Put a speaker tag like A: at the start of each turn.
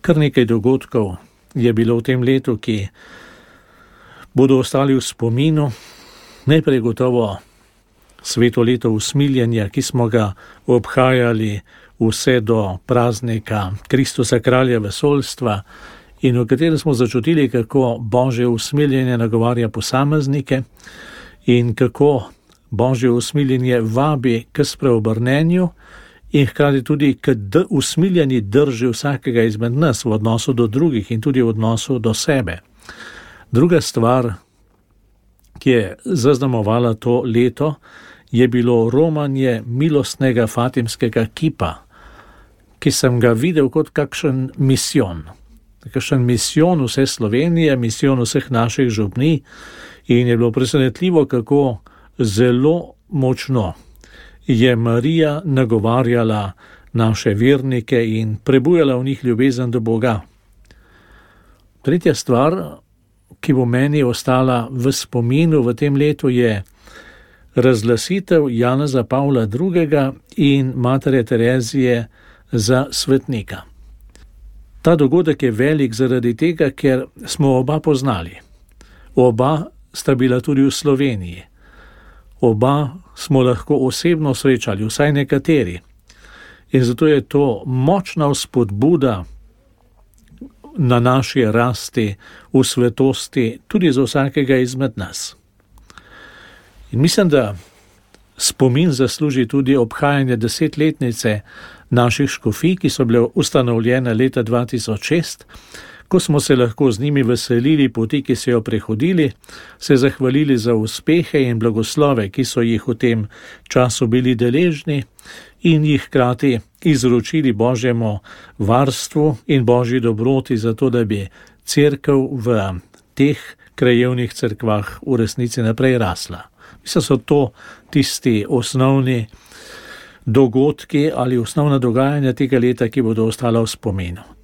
A: Kar nekaj dogodkov je bilo v tem letu, ki bodo ostali v spominu. Najprej gotovo sveto leto usmiljenja, ki smo ga obhajali vse do praznika Kristusa kralja vesoljstva in v katerem smo začutili, kako Božje usmiljenje nagovarja posameznike in kako Božje usmiljenje vabi k spreobrnenju in hkrati tudi k usmiljeni drži vsakega izmed nas v odnosu do drugih in tudi v odnosu do sebe. Druga stvar, ki je zaznamovala to leto, je bilo romanje milostnega fatimskega kipa, ki sem ga videl kot kakšen misijon. Kakšen misijon vse Slovenije, misijon vseh naših župnij in je bilo presenetljivo, kako zelo močno je Marija nagovarjala naše vernike in prebujala v njih ljubezen do Boga. Tretja stvar, ki bo meni ostala v spominu v tem letu, je razglasitev Janeza Pavla II. In Matere Terezije za svetnika. Ta dogodek je velik zaradi tega, ker smo oba poznali. Oba sta bila tudi v Sloveniji. Oba smo lahko osebno srečali, vsaj nekateri. In zato je to močna vzpodbuda na naši rasti v svetosti tudi za vsakega izmed nas. In mislim, da spomin zasluži tudi obhajanje 10-letnice naših škofij, ki so bile ustanovljene leta 2006, ko smo se lahko z njimi veselili poti, ki so jo prehodili, se zahvalili za uspehe in blagoslove, ki so jih v tem času bili deležni in jih hkrati izročili Božjemu varstvu in Božji dobroti za to, da bi cerkev v teh krajevnih cerkvah v resnici naprej rasla. Mislim, so to tisti osnovni dogodki ali osnovna dogajanja tega leta, ki bodo ostala v spominu.